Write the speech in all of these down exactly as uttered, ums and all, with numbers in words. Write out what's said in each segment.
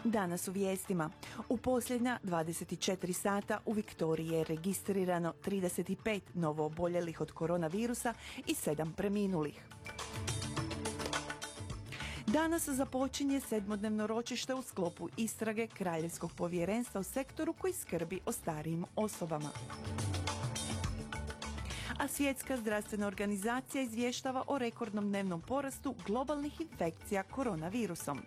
Danas u vijestima. U posljednja dvadeset četiri sata u Viktoriji je registrirano trideset pet novooboljelih od koronavirusa i sedam preminulih. Danas započinje sedmodnevno ročište u sklopu istrage Kraljevskog povjerenstva u sektoru koji skrbi o starijim osobama. A Svjetska zdravstvena organizacija izvještava o rekordnom dnevnom porastu globalnih infekcija koronavirusom.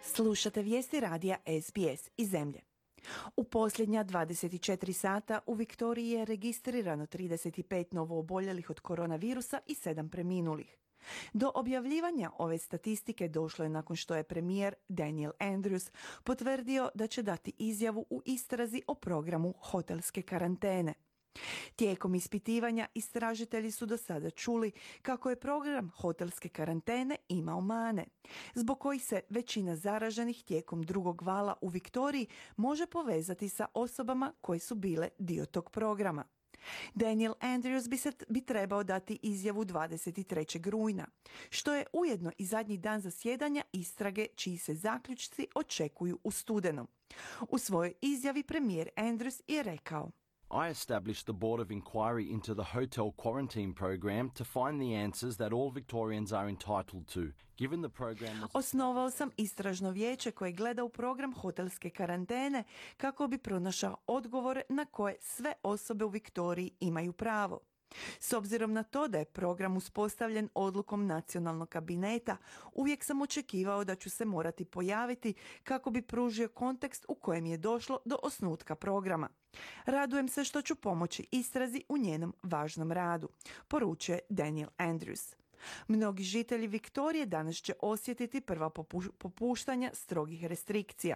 Slušate vijesti radija S B S iz zemlje. U posljednja dvadeset četiri sata u Viktoriji je registrirano trideset pet novooboljelih od koronavirusa i sedam preminulih. Do objavljivanja ove statistike došlo je nakon što je premijer Daniel Andrews potvrdio da će dati izjavu u istrazi o programu hotelske karantene. Tijekom ispitivanja istražitelji su do sada čuli kako je program hotelske karantene imao mane, zbog kojih se većina zaraženih tijekom drugog vala u Viktoriji može povezati sa osobama koje su bile dio tog programa. Daniel Andrews bi, se, bi trebao dati izjavu dvadeset trećeg rujna, što je ujedno i zadnji dan zasjedanja istrage čiji se zaključci očekuju u studenom. U svojoj izjavi premijer Andrews je rekao: I established the Board of Inquiry into the hotel quarantine program to find the answers that all Victorians are entitled to. Given the program was... Osnovao sam istražno vijeće koje gleda u program hotelske karantene kako bi pronašao odgovore na koje sve osobe u Viktoriji imaju pravo. S obzirom na to da je program uspostavljen odlukom nacionalnog kabineta, uvijek sam očekivao da ću se morati pojaviti kako bi pružio kontekst u kojem je došlo do osnutka programa. Radujem se što ću pomoći istrazi u njenom važnom radu, poručuje Daniel Andrews. Mnogi žitelji Viktorije danas će osjetiti prva popuštanja strogih restrikcija.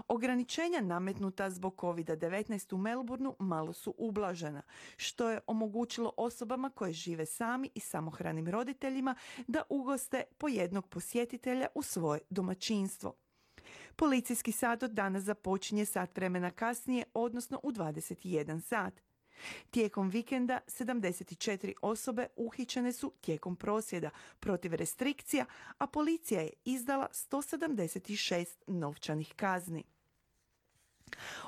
Ograničenja nametnuta zbog kovid devetnaest u Melbourneu malo su ublažena, što je omogućilo osobama koje žive sami i samohranim roditeljima da ugoste po jednog posjetitelja u svoje domaćinstvo. Policijski sat od danas započinje sat vremena kasnije, odnosno u dvadeset jedan sat. Tijekom vikenda sedamdeset četiri osobe uhićene su tijekom prosvjeda protiv restrikcija, a policija je izdala sto sedamdeset šest novčanih kazni.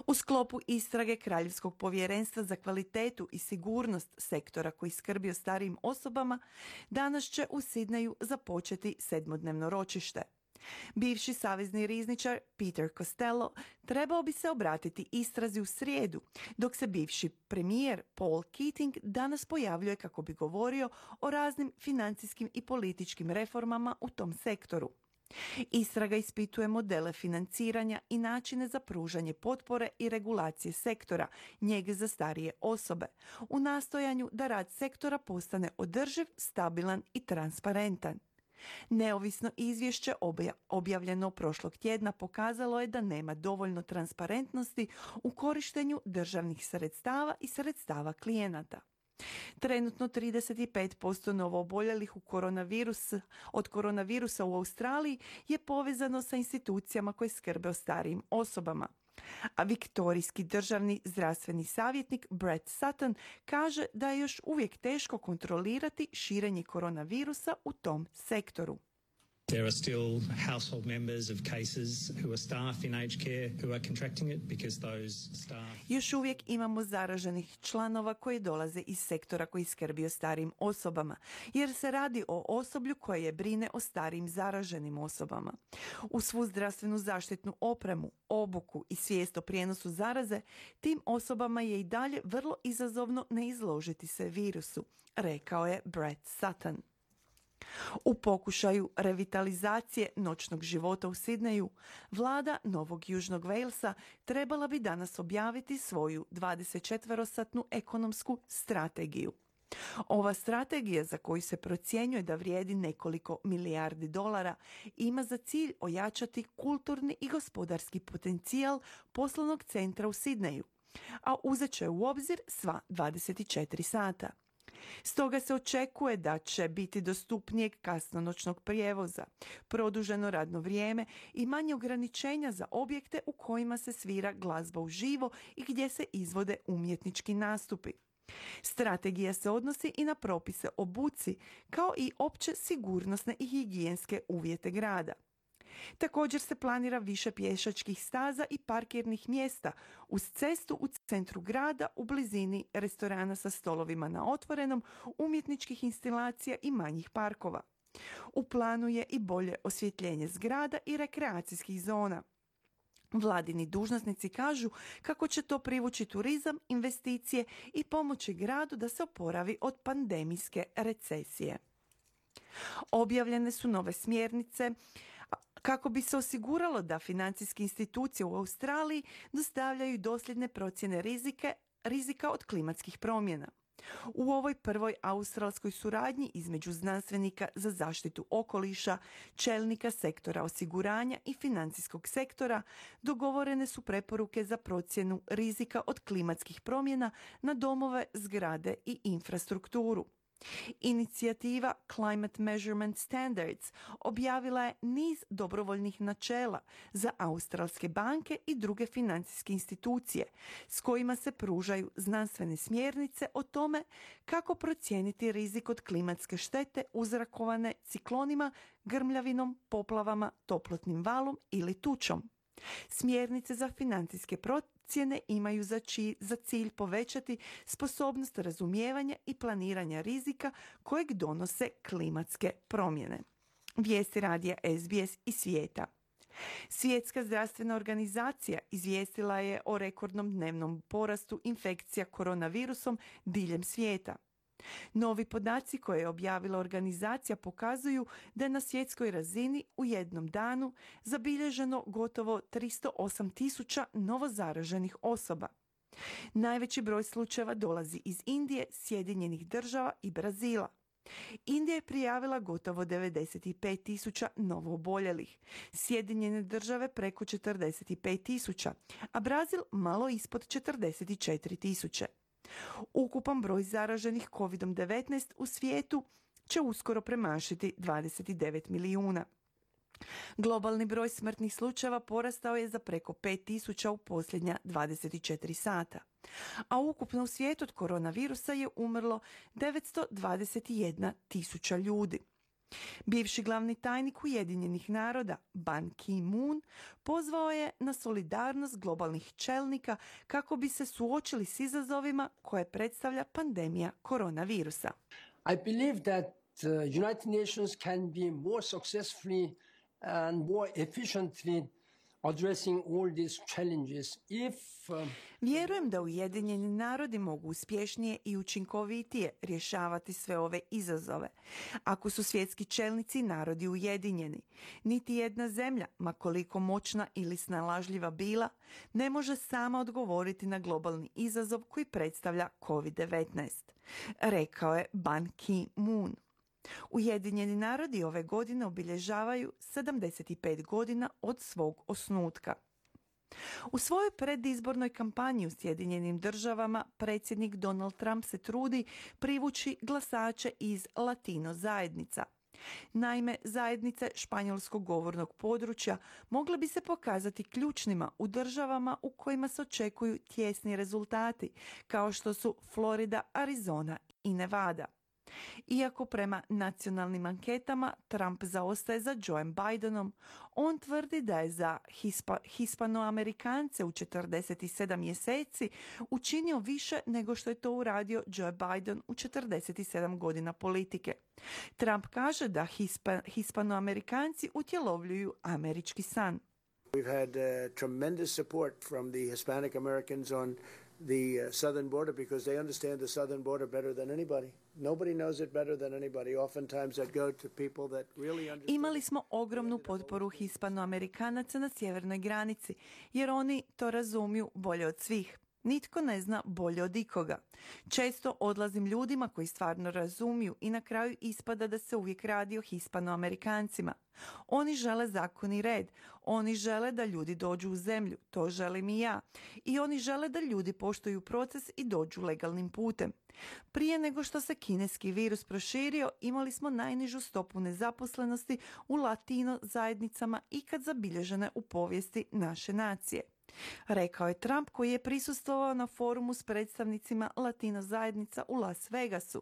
U sklopu istrage Kraljevskog povjerenstva za kvalitetu i sigurnost sektora koji skrbi o starijim osobama, danas će u Sidneju započeti sedmodnevno ročište. Bivši savezni rizničar Peter Costello trebao bi se obratiti istrazi u srijedu, dok se bivši premijer Paul Keating danas pojavljuje kako bi govorio o raznim financijskim i političkim reformama u tom sektoru. Istraga ispituje modele financiranja i načine za pružanje potpore i regulacije sektora, njege za starije osobe, u nastojanju da rad sektora postane održiv, stabilan i transparentan. Neovisno izvješće objavljeno prošlog tjedna pokazalo je da nema dovoljno transparentnosti u korištenju državnih sredstava i sredstava klijenata. Trenutno trideset pet posto novooboljelih u koronavirus, od koronavirusa u Australiji je povezano sa institucijama koje skrbe o starijim osobama. A viktorijski državni zdravstveni savjetnik Brett Sutton kaže da je još uvijek teško kontrolirati širenje koronavirusa u tom sektoru. There are still household members of cases who are staff in aged care who are contracting it because those staff... Još uvijek imamo zaraženih članova koji dolaze iz sektora koji skrbi o starijim osobama, jer se radi o osoblju koje je brine o starijim zaraženim osobama. U svu zdravstvenu zaštitnu opremu, obuku i svijest o prijenosu zaraze, tim osobama je i dalje vrlo izazovno ne izložiti se virusu, rekao je Brett Sutton. U pokušaju revitalizacije noćnog života u Sidneju, vlada Novog Južnog Walesa trebala bi danas objaviti svoju dvadesetčetverosatnu ekonomsku strategiju. Ova strategija, za koju se procjenjuje da vrijedi nekoliko milijardi dolara, ima za cilj ojačati kulturni i gospodarski potencijal poslovnog centra u Sidneju, a uzet će u obzir sva dvadeset četiri sata. Stoga se očekuje da će biti dostupnijeg kasnonoćnog prijevoza, produženo radno vrijeme i manje ograničenja za objekte u kojima se svira glazba uživo i gdje se izvode umjetnički nastupi. Strategija se odnosi i na propise o buci, kao i opće sigurnosne i higijenske uvjete grada. Također se planira više pješačkih staza i parkirnih mjesta uz cestu u centru grada u blizini restorana sa stolovima na otvorenom, umjetničkih instalacija i manjih parkova. U planu je i bolje osvjetljenje zgrada i rekreacijskih zona. Vladini dužnosnici kažu kako će to privući turizam, investicije i pomoći gradu da se oporavi od pandemijske recesije. Objavljene su nove smjernice kako bi se osiguralo da financijske institucije u Australiji dostavljaju dosljedne procjene rizike, rizika od klimatskih promjena. U ovoj prvoj australskoj suradnji između znanstvenika za zaštitu okoliša, čelnika sektora osiguranja i financijskog sektora dogovorene su preporuke za procjenu rizika od klimatskih promjena na domove, zgrade i infrastrukturu. Inicijativa Climate Measurement Standards objavila je niz dobrovoljnih načela za australske banke i druge financijske institucije s kojima se pružaju znanstvene smjernice o tome kako procijeniti rizik od klimatske štete uzrokovane ciklonima, grmljavinom, poplavama, toplotnim valom ili tučom. Smjernice za financijske procjene imaju za, či, za cilj povećati sposobnost razumijevanja i planiranja rizika kojeg donose klimatske promjene. Vijesti radija S B S i svijeta. Svjetska zdravstvena organizacija izvijestila je o rekordnom dnevnom porastu infekcija koronavirusom diljem svijeta. Novi podaci koje je objavila organizacija pokazuju da je na svjetskoj razini u jednom danu zabilježeno gotovo tristo osam tisuća novozaraženih osoba. Najveći broj slučajeva dolazi iz Indije, Sjedinjenih država i Brazila. Indija je prijavila gotovo devedeset pet tisuća novooboljelih, Sjedinjene države preko četrdeset pet tisuća, a Brazil malo ispod četrdeset četiri tisuće. Ukupan broj zaraženih kovid devetnaest u svijetu će uskoro premašiti dvadeset devet milijuna. Globalni broj smrtnih slučajeva porastao je za preko pet tisuća u posljednja dvadeset četiri sata, a ukupno u svijetu od koronavirusa je umrlo devetsto dvadeset jedna tisuća ljudi. Bivši glavni tajnik Ujedinjenih naroda Ban Ki-moon pozvao je na solidarnost globalnih čelnika kako bi se suočili s izazovima koje predstavlja pandemija koronavirusa. I believe that the United Nations can be more successfully and more efficiently addressing all these challenges if uh, Vjerujem da Ujedinjeni narodi mogu uspješnije i učinkovitije rješavati sve ove izazove. Ako su svjetski čelnici narodi ujedinjeni, niti jedna zemlja, ma koliko moćna ili snalažljiva bila, ne može sama odgovoriti na globalni izazov koji predstavlja kovid devetnaest, rekao je Ban Ki-moon. Ujedinjeni narodi ove godine obilježavaju sedamdeset pet godina od svog osnutka. U svojoj predizbornoj kampanji u Sjedinjenim državama predsjednik Donald Trump se trudi privući glasače iz latino zajednica. Naime, zajednice španjolskog govornog područja mogle bi se pokazati ključnima u državama u kojima se očekuju tjesni rezultati, kao što su Florida, Arizona i Nevada. Iako prema nacionalnim anketama Trump zaostaje za Joeom Bidenom, on tvrdi da je za Hispa, Hispanoamerikance u četrdeset sedam mjeseci učinio više nego što je to uradio Joe Biden u četrdeset sedam godina politike. Trump kaže da Hispa, Hispanoamerikanci utjelovljuju američki san. We've had uh, tremendous support from the Hispanic Americans on the uh, southern border because they understand the southern border better than anybody. Nobody knows it better than anybody. Oftentimes I go to people that really understand. Imali smo ogromnu potporu Hispanoamerikanaca na sjevernoj granici, jer oni to razumiju bolje od svih. Nitko ne zna bolje od ikoga. Često odlazim ljudima koji stvarno razumiju i na kraju ispada da se uvijek radi o Hispanoamerikancima. Oni žele zakon i red. Oni žele da ljudi dođu u zemlju. To želim i ja. I oni žele da ljudi poštuju proces i dođu legalnim putem. Prije nego što se kineski virus proširio, imali smo najnižu stopu nezaposlenosti u latino zajednicama ikad zabilježene u povijesti naše nacije. Rekao je Trump, koji je prisustvovao na forumu s predstavnicima latino zajednica u Las Vegasu,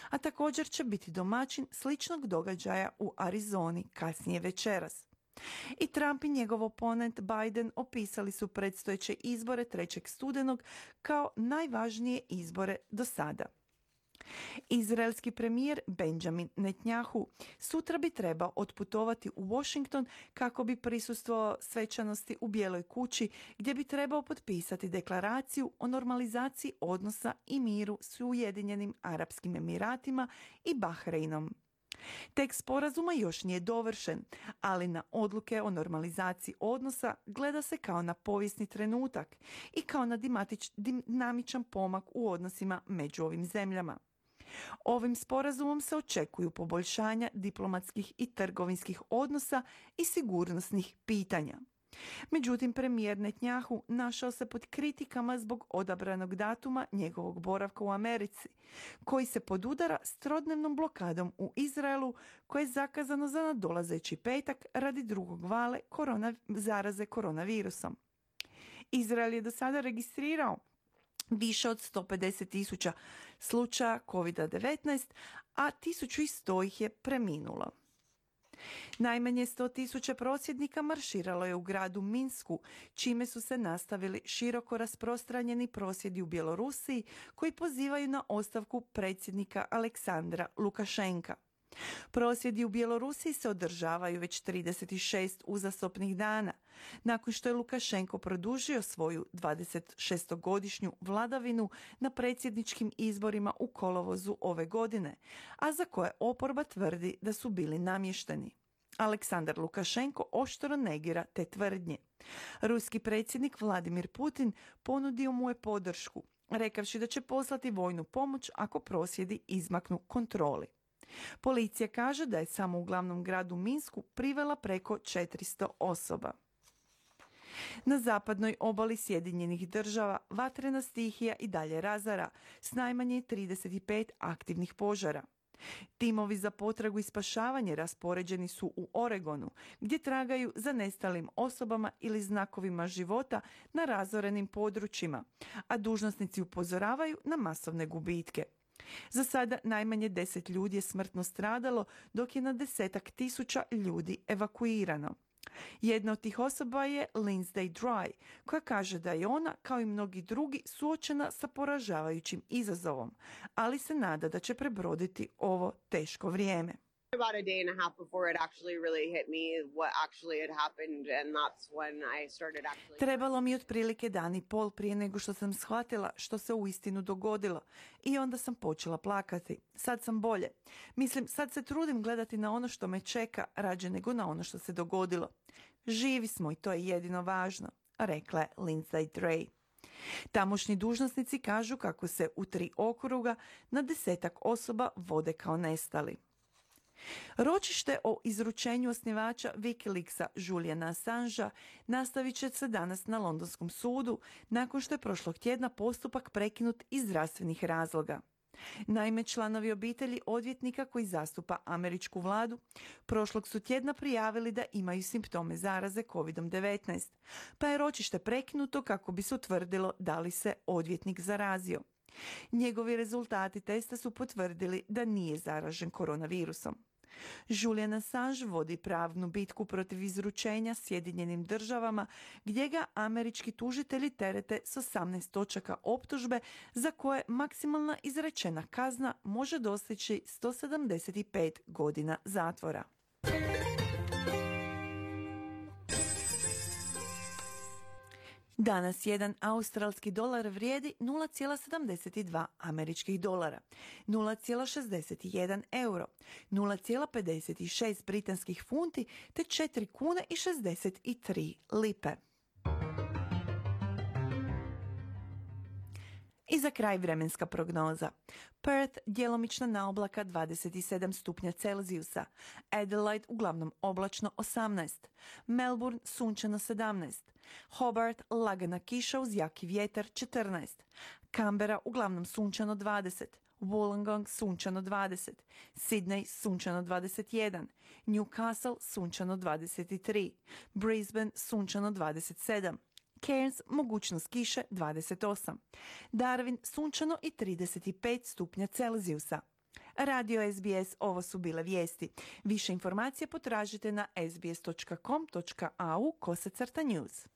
a također će biti domaćin sličnog događaja u Arizoni kasnije večeras. I Trump i njegov oponent Biden opisali su predstojeće izbore trećeg studenog kao najvažnije izbore do sada. Izraelski premijer Benjamin Netanyahu sutra bi trebao otputovati u Washington kako bi prisustvovao svečanosti u Bijeloj kući, gdje bi trebao potpisati deklaraciju o normalizaciji odnosa i miru s Ujedinjenim Arapskim Emiratima i Bahreinom. Tekst sporazuma još nije dovršen, ali na odluke o normalizaciji odnosa gleda se kao na povijesni trenutak i kao na dinamičan pomak u odnosima među ovim zemljama. Ovim sporazumom se očekuju poboljšanja diplomatskih i trgovinskih odnosa i sigurnosnih pitanja. Međutim, premijer Netanyahu našao se pod kritikama zbog odabranog datuma njegovog boravka u Americi, koji se podudara s trodnevnom blokadom u Izraelu, koje je zakazano za nadolazeći petak radi drugog vale korona, zaraze koronavirusom. Izrael je do sada registrirao više od sto pedeset tisuća slučaja kovid devetnaest, a tisuću sto ih je preminulo. Najmanje sto tisuća prosvjednika marširalo je u gradu Minsku, čime su se nastavili široko rasprostranjeni prosvjedi u Bjelorusiji koji pozivaju na ostavku predsjednika Aleksandra Lukašenka. Prosvjedi u Bjelorusiji se održavaju već trideset šest uzastopnih dana, nakon što je Lukašenko produžio svoju dvadesetšestogodišnju vladavinu na predsjedničkim izborima u kolovozu ove godine, a za koje oporba tvrdi da su bili namješteni. Aleksandar Lukašenko oštro negira te tvrdnje. Ruski predsjednik Vladimir Putin ponudio mu je podršku, rekavši da će poslati vojnu pomoć ako prosvjedi izmaknu kontroli. Policija kaže da je samo u glavnom gradu Minsku privela preko četiristo osoba. Na zapadnoj obali Sjedinjenih država vatrena stihija i dalje razara s najmanje trideset pet aktivnih požara. Timovi za potragu i spašavanje raspoređeni su u Oregonu, gdje tragaju za nestalim osobama ili znakovima života na razorenim područjima, a dužnosnici upozoravaju na masovne gubitke. Za sada najmanje deset ljudi je smrtno stradalo, dok je na desetak tisuća ljudi evakuirano. Jedna od tih osoba je Lindsay Dry, koja kaže da je ona, kao i mnogi drugi, suočena sa poražavajućim izazovom, ali se nada da će prebroditi ovo teško vrijeme. About a day and a half before it actually really hit me what actually had happened, and that's when I started actually... Trebalo mi otprilike dan i pol prije nego što sam shvatila što se uistinu dogodilo i onda sam počela plakati. Sad sam bolje. Mislim, sad se trudim gledati na ono što me čeka rađe nego na ono što se dogodilo. Živi smo i to je jedino važno, rekla je Lindsay Dray. Tamošnji dužnosnici kažu kako se u tri okruga na desetak osoba vode kao nestali. Ročište o izručenju osnivača Wikileaksa Juliana Assangea nastavit će se danas na londonskom sudu nakon što je prošlog tjedna postupak prekinut iz zdravstvenih razloga. Naime, članovi obitelji odvjetnika koji zastupa američku vladu prošlog su tjedna prijavili da imaju simptome zaraze kovid devetnaest, pa je ročište prekinuto kako bi se utvrdilo da li se odvjetnik zarazio. Njegovi rezultati testa su potvrdili da nije zaražen koronavirusom. Julian Assange vodi pravnu bitku protiv izručenja Sjedinjenim državama, gdje ga američki tužitelji terete s osamnaest točaka optužbe za koje maksimalna izrečena kazna može dostići sto sedamdeset pet godina zatvora. Danas jedan australski dolar vrijedi nula zarez sedamdeset dva američkih dolara, nula zarez šezdeset jedan euro, nula zarez pedeset šest britanskih funti te četiri kune i šezdeset tri lipe. I za kraj vremenska prognoza. Perth djelomična naoblaka dvadeset sedam stupnja Celzijusa, Adelaide uglavnom oblačno osamnaest, Melbourne sunčano sedamnaest, Hobart lagana kiša uz jaki vjetar četrnaest, Canberra uglavnom sunčano dvadeset, Wollongong sunčano dvadeset, Sydney sunčano dvadeset jedan, Newcastle sunčano dvadeset tri, Brisbane sunčano dvadeset sedam, Cairns mogućnost kiše dvadeset osam, Darwin sunčano i trideset pet stupnja Celzijusa. Radio S B S, ovo su bile vijesti. Više informacije potražite na sbs dot com dot a u kosacrta news.